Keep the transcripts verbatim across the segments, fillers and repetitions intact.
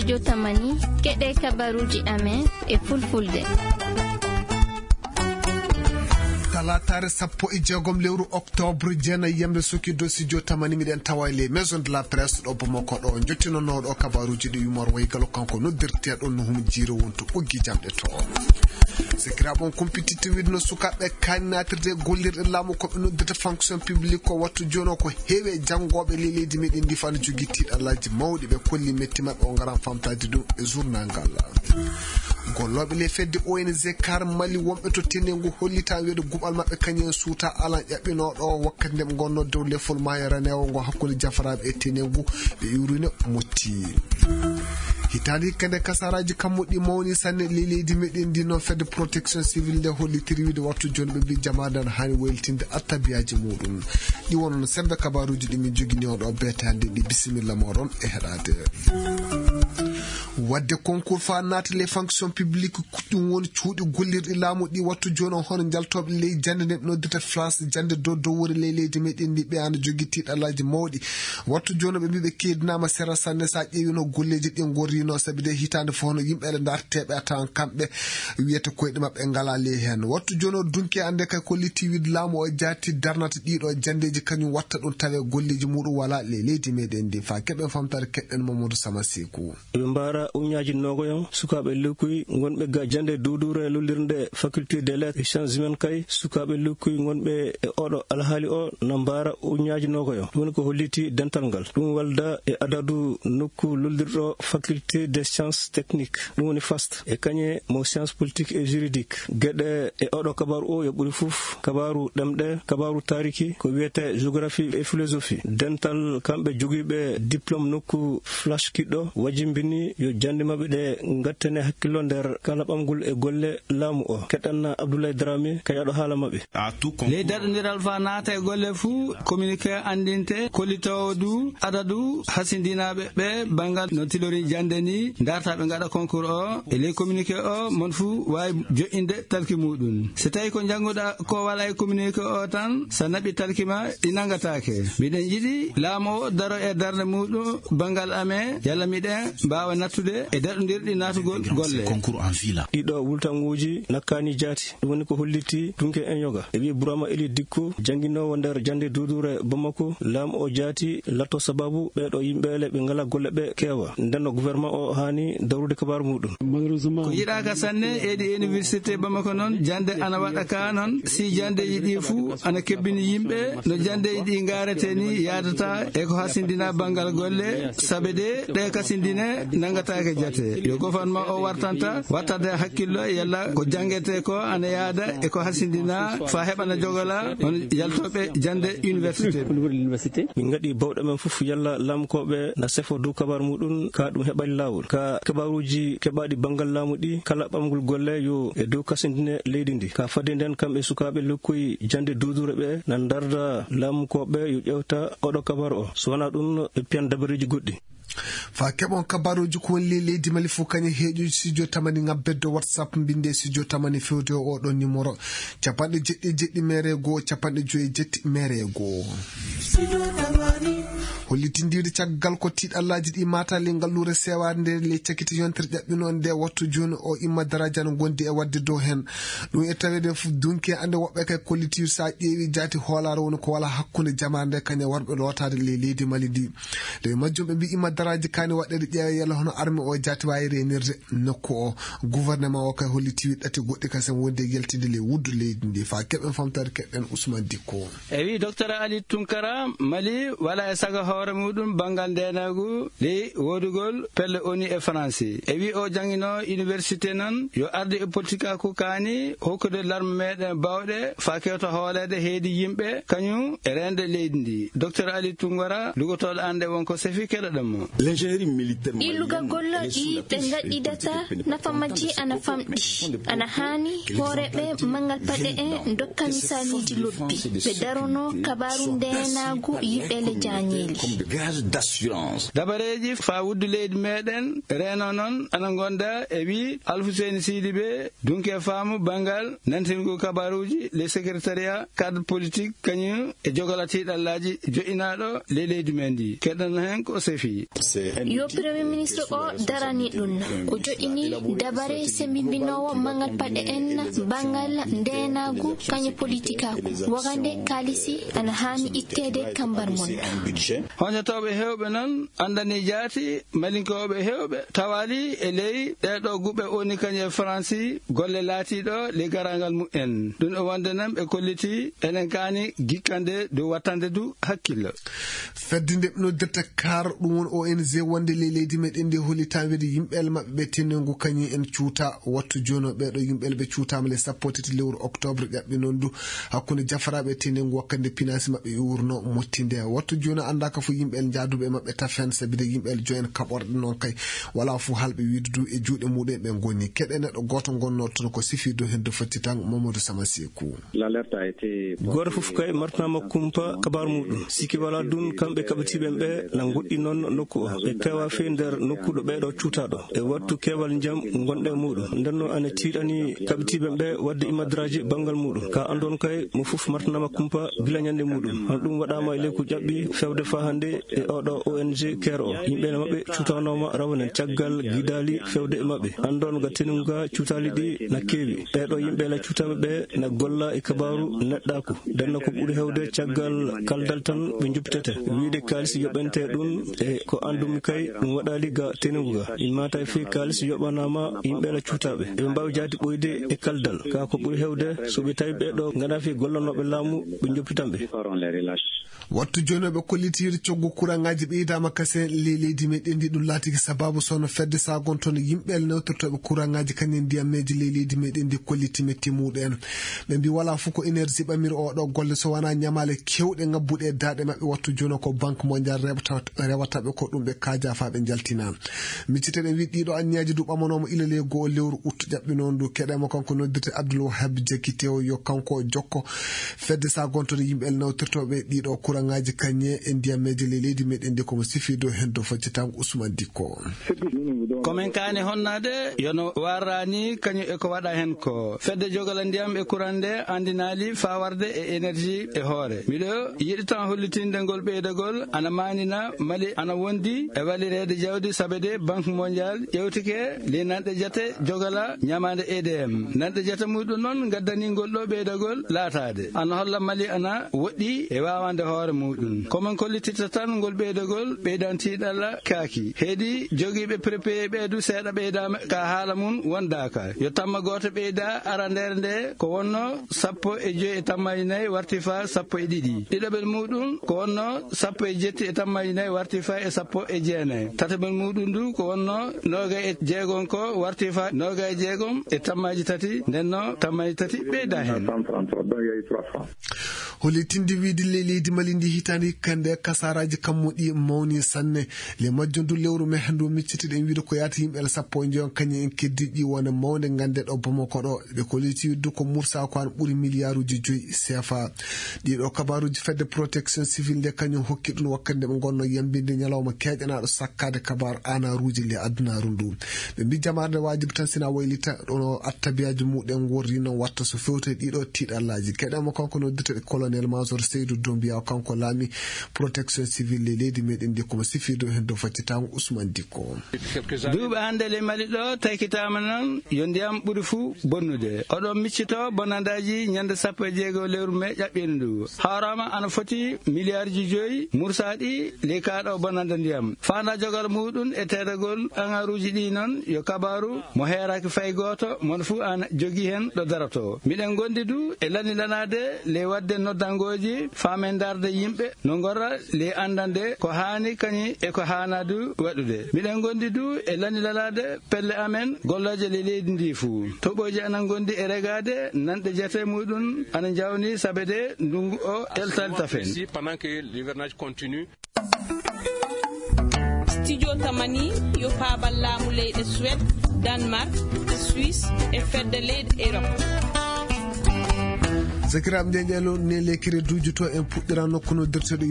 Jotamani, keɗe kabaruuji amen e fulfulde. Talaataare sappo e jeegom lewru oktoobre, jeenayi yamre suki dosi jotamani, miɗen tawa e les maisons de la presse ɗo Bamako ɗo, jottinanooɗo kabaruuji ɗi Yumar Waygalo, kanko noddirteeɗo no hum jiiro wonto ɓoggi jamɗe to. Sikiraaɓe on kumpititte wiide no sukaaɓe kaani naatirde e gollirɗe laamu ko ɓe noddirta fonction publique ko wattu jooni o ko heewi e janngooɓe ley leydi meɗen ndi fana jogii tiiɗallaaji mawɗi, ɓe kolli metti maɓɓe o ngaran famtaade ɗum e journal ngal. Gollooɓe ley fedde O N G Kar Mali wonɓe to Tenengu hollitaa wiide guɓal maɓɓe kañum en suuta alan ƴaɓɓinooɗo wakkati nde ɓe ngonnoo dow lefol maayo raneewo ngo hakkunde jafaraaɓe e Tenengu, ɓe iwruno motti. Hitaande hikka nde kasaraaji kammuɗi mawni sanne ley leydi meɗen ndi, noon fedde protection civile nde hollitiri wiide wattu jooni ɓe mbi jamaade ana haani waylitinde attabiyaaji muɗum. Ɗi wonno sembe kabaruuji ɗi min jogini on ɗo beetaande ɗi, bisimilla moɗon e heɗaade. Wadde concours fa naata les fonctions publiques, ɗum woni cuuɗi gollirɗi laamu ɗi wattu jooni o, hono njaltooɓe ley jannde nde ɓe noddirta flas jannde dow dowore ley leydi meɗen ndi, ɓe ana jogii tiiɗallaaji mawɗi. Wattu jooni ɓe mbi ɓe keedinaama sera sanne, so a ƴeewi no golleeji ɗi ngorrino, sabi de hitaande fof no yimɓe ɗe ndarteeɓe a tawan kamɓe wiyata koyɗe maɓɓe ngala ley heen. Wattu jooni o dunki annde kay ko litiwid laamu o jaati darnata ɗiɗo janndeeji kañum watta ɗum tawe golleeji muɗum wala ley leydi meɗen ndi. Fa keɓen famtare keɗɗen Mamadou Sama Seku. Ɓe mbaara uñaaji nogoyon sukaaɓe lekkuy ngonɓe ga jannde duuduure lullirnde faculté des lettres et sciences humaines kay. Sukaaɓe lekkuy ngonɓe e oɗo alhaali o na mbaara uñaaji nogoyon. Ɗum woni ko holliti dental ngal. Ɗum walda e adadu nokku lullirɗo faculté des sciences techniques, ɗum woni fast, e kañe mo science politique et juridique. Geɗe e oɗo kabaru o yo ɓuri fof kabaru ɗemɗe, kabaru taariki, ko wiyete géographie et philosophie. Dental kamɓe jogiiɓe diplôme nokku flash kiɗɗo wajimbini yo jannde maɓɓe ɗe ngattane hakkillo nder kala ɓamgol e golle laamu o. Keɗanna Abdoulaye Dramé kay aɗo haala maɓɓe. Ley daɗondiral fa naata e golle fuu, communiqué anndinte kollitoowo du adadu hasindinaaɓe ɓe banngal no tilori jannde ni, ndarta ɓe ngaɗa concours o. E ley communiqué o, mon fuu waawi joƴƴinde talki muɗum. So tawi ko njannguɗa ko wala e communiqué o tan, so naɓi talki ma, ɗi nanngataake. Miɗen yiɗi laamu o daro e darnde muɗum banngal amen, yalla miɗen mbaawa nattude e daɗondirɗi naatugol golle. Ɗiɗo wultanguuji nakkaani jaati. Ɗum woni ko holliti dunke en yoga. E wiye Burama Eli Dikko, jannginoowo nder jannde duuduure Bamako, laamu o jaati latto sababu ɓeeɗo yimɓeele ɓe ngala golle ɓe keewa. Nden no gouvernement o haani dawrude kabaaru muɗum. Ko yiɗaaka sanne e ɗi université Bamako noon, jannde ana waɗa ka noon, si janndeeji ɗi fuu ana kebbini yimɓe, no janndeeji ɗi ngaarete ni yaadata e ko hasindina banngal golle, sabe de ɗe kasindine nanngataake jate. Yo gouvernement o wartanta wattade hakkillo yalla ko janngete ko ana yaada e ko hasindina fa heɓana jogola on yaltooɓe jannde université. Min ngaɗi bawɗe men fof yalla laamkooɓe na sefo dow kabaru muɗum, ka ɗum heɓani laawol. Ka kabaruuji keɓaaɗi banngal laamu ɗi, kala ɓamgol golle yo e dow kasindine leydi ndi. Ka fadde nden, kamɓe sukaaɓe lekkoy jannde duuduure ɓe na ndarda laamkooɓe yo ƴewta oɗo kabaru o. So wonaa ɗum, ɓe piyan dabareeji goɗɗi. Fa keɓon kabaruuji ko woni ley leydi Mali fof, kañum heeƴoji studio tamani ngabbeddo WhatsApp, mbinde studio tamani fewde o oɗon numéro: capanɗe jeɗɗi e jeɗɗi mere goo, capanɗe joyi e jetti mere goo. Hollitindiiɗo caggal ko tiiɗallaaji ɗi maata ley ngalluure seewaade nde ley cakite yontere ƴaɓɓinoo nde wattu jooni o, Imma Daraaji ana ngondi e waɗde dow heen. Ɗum e taweede fof dunki e annde woɓɓe kay kollitiiɗo so a ƴeewi jaati hoolaare woni ko wala hakkunde jamaare nde kañum e warɓe lootaade ley leydi Mali ndi. Nde majjum ɓe mbii Imma Daraaji kaani waɗeede ƴeewa yalla hono arme o jaati waawi reenirde nokku o. Gouvernement o kay holliti ɗate goɗɗi kasam wonde e yaltinde ley wuddu leydi ndi. Fa keɓen famtaade keɓen Ousmane Dikko. E wi Docteur Ali Tunkara, Mali wala e saga hoore muɗum banngal ndeenaagu ley woodugol pelle O N U e Faransi. E wi o janngino université noon yo arde e politikaaku kaani hokkude larme meɗen bawɗe fa kewta hooleede heedi yimɓe kañum e reende leydi ndi. Docteur Ali Tunkara, lugotooɗo annde won ko sefi keɗoɗen mo. L'ingénierie militaire malienne, Illugagol ɗi ɓe ngaɗɗidata nafa majji ana famɗi. Ana haani hooreeɓe manngal paɗe en ndokka misaaliiji lobbi. Ɓe darono kabaaru ndeenaagu yimɓe le jaañeeli. Dabareeji faa wuddu leydi meɗen reeno noon ana ngonda e wi Alfuseyni Sidibe, dunke faamu banngal nantirngu kabaaruuji le secrétariat cadre politique kañum e jogola tiiɗallaaji joƴƴinaaɗo le leydi men ndi. Keɗɗon heen ko sefi. Yo Premier Ministre o darani ɗum. O joɗɗini dabare sembimbinoowo manngal paɗe en, banngal ndeenaagu, kañe politikaaku, wagande kaalisi ana haani itteede kambar mon. Hoñatooɓe heewɓe noon anndani jaati, malinkooɓe heewɓe tawaali e ley ɗeeɗo guɓe woni kañe e Faransi golle laatiiɗo ley garaangal mumen. Ɗum o wonde noon ɓe kolliti enen kaani gikkande dow wattande du hakkillo. Fedde nde ɓe noddirta kar, ɗum woni O N G wonde ley leydi meɗen ndi, holli taweede yimɓe maɓɓe ɓe tenengu kañum en cuuta. Wattu jooni o ɓeeɗo yimɓe ɓe cuutaama le sappo tati lewru octobre ƴaɓɓi noon du hakkunde jafaraaɓe e tenengu wakkati nde pinaasi maɓɓe iwruno mottinde. Wattu jooni anndaaka fof yimɓe jaaduɓe maɓɓe tafen, sabi de yimɓe joyen kaɓorɗe noon kay wala fof halɓe wiide du e juuɗe muɗum ɓe ngoni. Keɗe neɗɗo gooto ngonno toon ko sifi dow heen dow fatti tan Mamadou Sama Seeku. Gooto fof kay martanaama kumpa kabaaru muɗum. Sikki wala dun kamɓe kaɓitiiɓe ɓe na ngoɗɗi noon nokku o. Ɓe keewa fey nder nokku ɗo ɓeeɗo cuutaaɗo. E wattu keewal njam ngonɗe muɗum. Nden noon ana tiiɗani kaɓitiiɓe ɓe wadde imadraaji banngal muɗum. Ka anndon kay mo fof martanaama kumpa gila ñannde muɗum. Hono ɗum waɗaama e leyku ƴaɓɓi fewde faa hannde e oɗo O N G keer o. Yimɓe maɓɓe cuutanooma rawane caggal gidaali fewde e maɓɓe. Anndon ga tenunga cuutaali ɗi na keewi. Ɓeeɗo yimɓe la cuutaaɓe ɓe na golla e kabaaru neɗɗaaku. Nden no ko ɓuri heewde caggal kaldal tan ɓe njoppitete. Wiide kaalis yoɓente ɗum e ko anndumi kay ɗum waɗaali ga tenungu ga. Immata e fii kaalis yoɓanaama yimɓe la cuutaaɓe. Ɓe mbaawi jaati ɓoyde e kaldal. Ka ko ɓuri heewde so ɓe tawi ɓeeɗo ngana fii gollanooɓe laamu ɓe njoppitan ɓe. Wattu jooni ɓe kolliti coggu kuraŋaaji ɓeydaama kasen ley leydi meɗen ndi. Ɗum laatiki sababu sono fedde sagontono yimɓe newtortooɓe kuraŋaaji kañum ndiyameeji ley leydi meɗen ndi kolliti metti muɗum en. Ɓe mbi wala fof ko énergie ɓamiri oɗo golle so wona ñamaale kewɗe ngabbuɗe e daaɗe maɓɓe. Wattu jooni ko Banque Mondiale rewata, rewata ɓe ko ɗum ɓe kaaja faa ɓe njaltina. Micciteɗen wi ɗiɗo anniyaji du ɓamanooma ila ley go'o lewru ut ƴaɓɓi noon du. Keɗema kanko noddirte Abdoul Wahab Diakité o yo kanko jokko fedde sagontoɗo yimɓe el nawtirtoɓe ɗiɗo kuraŋaaji kañe e ndiyameeje ley leydi meɗen ndi komo sifi dow heen dow faccitango Ousmane Dikko. Komin kaani honnaade yono warrani kañum e ko waɗa heen ko. Fedde jogala ndiyam e kuran nde anndinaali faa warde e énergie e hoore. Miɗo yiɗi tan hollitinde ngol ɓeydagol ana maanina Mali ana wondi e walireede jawdi sabe de Banque Mondiale ƴewtike le nanɗe jate jogala ñamaande E D M. Nanɗe jate muɗum noon ngaddani ngol ɗo ɓeydagol laataade. Ana holla Mali ana woɗɗi e waawande hoore muɗum. Ko min kollitirta tan ngol ɓeydagol ɓeydantiiɗalla kaaki. Heedi jogiiɓe prépayé ɓe du seeɗa ɓeydaama ka haala mum wondaaka. Yo tamma gooto ɓeyda arandeere nde ko wonno sappo e joy e tammaaji nayi warti faa sappo e ɗiɗi. Ɗiɗaɓel muɗum ko wonno sappo e jetti e tammaaji nayi warti faa e sappo e jeenayi. Tataɓel muɗum du ko wonno noogay e jeegom ko warti faa noogay e jeegom e tammaaji tati. Ndenno tammaaji tati ɓeyda heen. Hollitinde wiide le leydi Mali ndi hitaande hikka nde kasaaraaji kammuɗi mawni sanne. Le majjum du lewru me hanndu miccitiɗen wiide ko yaata yimɓe el sappo e njoyon kañum en keddiiɗi wona mawde ngannde ɗo Bamako ɗo. Ɓe kolliti wiide ko mursa ko an ɓuri miliyaaruuji joyi C F A. Ɗiɗo kabaaruuji fedde protection civil nde kañum hokki ɗum wakkati nde ɓe ngonno yambinde ñalawma keeƴanaaɗo sakkaade kabaaru aanaaruuji le adunaaru ndu. Ɓe mbi jamaare nde waajibi tan sina waylita ɗono attabiyaaji muɗen worri noon watta so fewte ɗiɗo tiiɗallaaji. Keɗema kanko noddirteɗo colonel major Seydou Doumbia, kanko laami protection civil le leydi meɗen ndi komo sifiido heen dow faccitango Ousmane Dikko. Duuɓi hannde le Mali ɗo taykitaama noon yo ndiyam ɓuri fuu bonnude. Oɗon miccito bonandaaji ñande sappo e jeego lewru me ƴaɓɓiino ndu. Haaraama ana foti miliyaarji joyi mursaaɗi ley kaaɗo bonanda ndiyam. Faanda jogal muɗum e teedagol aŋaruuji ɗi noon yo kabaaru mo heeraaki fay gooto, mon fuu ana jogii heen ɗo daroto. Miɗen ngondi du e lani lanaade ley waɗde noddangooji faamen ndaarde yimɓe no ngorra ley anndande ko haani kañum e ko haanaa du waɗude. Miɗen ngondi du e lani lanaade pelle amen gollooje ley leydi ndi fuu. Toɓooji ana ngondi e regaade, nanɗe jate muɗum ana njawni sabe de ndungu o eltali tafen. Pendant que l'hivernage continue. Studio Tamani yo paabal laamu leyɗe Suède, Danemark, Suisse e fedde leyɗe Europe. Sakiraaɓe, nde njeylo ne lekire duujuto en puɗɗira nokku noddirteɗo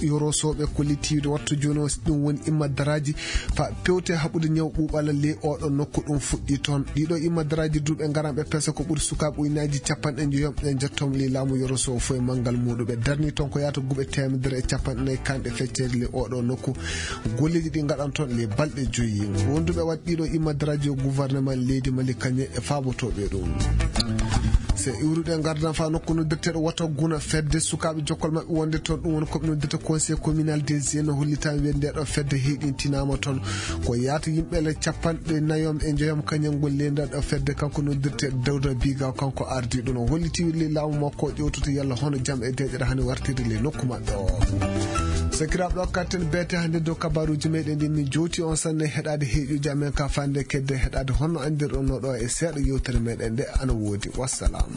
yorosooɓe ko littiiɗo wattu jooni o. Ɗum woni imma daraaji fa pewte haɓude ñaw ɓuuɓala ley oɗo nokku ɗum fuɗɗi toon. Ɗiɗo imma daraaji duuɓe ngaranɓe pesa ko ɓuri sukaaɓe uynaaji capanɗe njoyom ɗe njettom ley laamu yoroso fof e manngal muuɗum. Ɓe darni toon ko yaata guɓe teemedere e capanɗe nayi kanɗe feccere ley oɗo nokku. Golleeji ɗi ngaɗan toon ley balɗe joyi. Wonduɓe waɗ ɗiɗo imma daraaji o gouvernement leydi Mali kañe e faabotooɓe ɗum. Se iwruɗe ngardan fa nokku noddirteɗo wata guna fedde sukaaɓe jokkol maɓɓe wonde toon, ɗum woni koɓe noddirta conseil communal des jeunes, hollitaama wiyde nde ɗo fedde heyɗintinaama toon. Ko yaata yimɓe le capanɗe nayom e njoyom kañum ngol leydi ɗo fedde kanko noddirte Dawda Biga, kanko ardi ɗum. O holliti le laamu makko o ƴewtoto yalla hono jam e deƴere hani wartirde le nokku maɓɓe o. Sakiraaɓe, ɗo katten beete hannde dow kabaruuji meɗen ɗi min jowti on sanne heɗaade heeƴuji amen ka fande kedde heɗaade honno anndirɗon no ɗo e seeɗa yewtere meɗen nde ana woodi. Wassalam.